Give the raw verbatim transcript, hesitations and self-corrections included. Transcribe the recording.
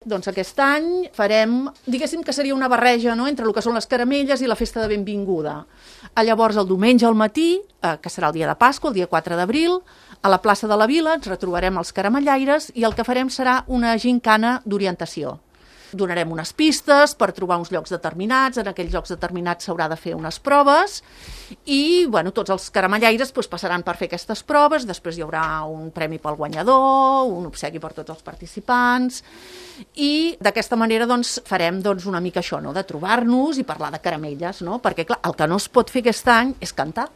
Doncs aquest any farem, diguéssim que seria una barreja, no?, entre el que són les caramelles i la festa de benvinguda. Llavors, el diumenge al matí, eh, que serà el dia de Pasqua, el dia quatre d'abril, a la plaça de la Vila ens retrobarem els caramellaires i el que farem serà una gincana d'orientació. Donarem unes pistes per trobar uns llocs determinats, en aquells llocs determinats s'haurà de fer unes proves i bueno, tots els caramellaires doncs, passaran per fer aquestes proves, després hi haurà un premi pel guanyador, un obsequi per tots els participants i d'aquesta manera doncs, farem doncs, una mica això, no?, de trobar-nos i parlar de caramelles, no? Perquè clar, el que no es pot fer aquest any és cantar.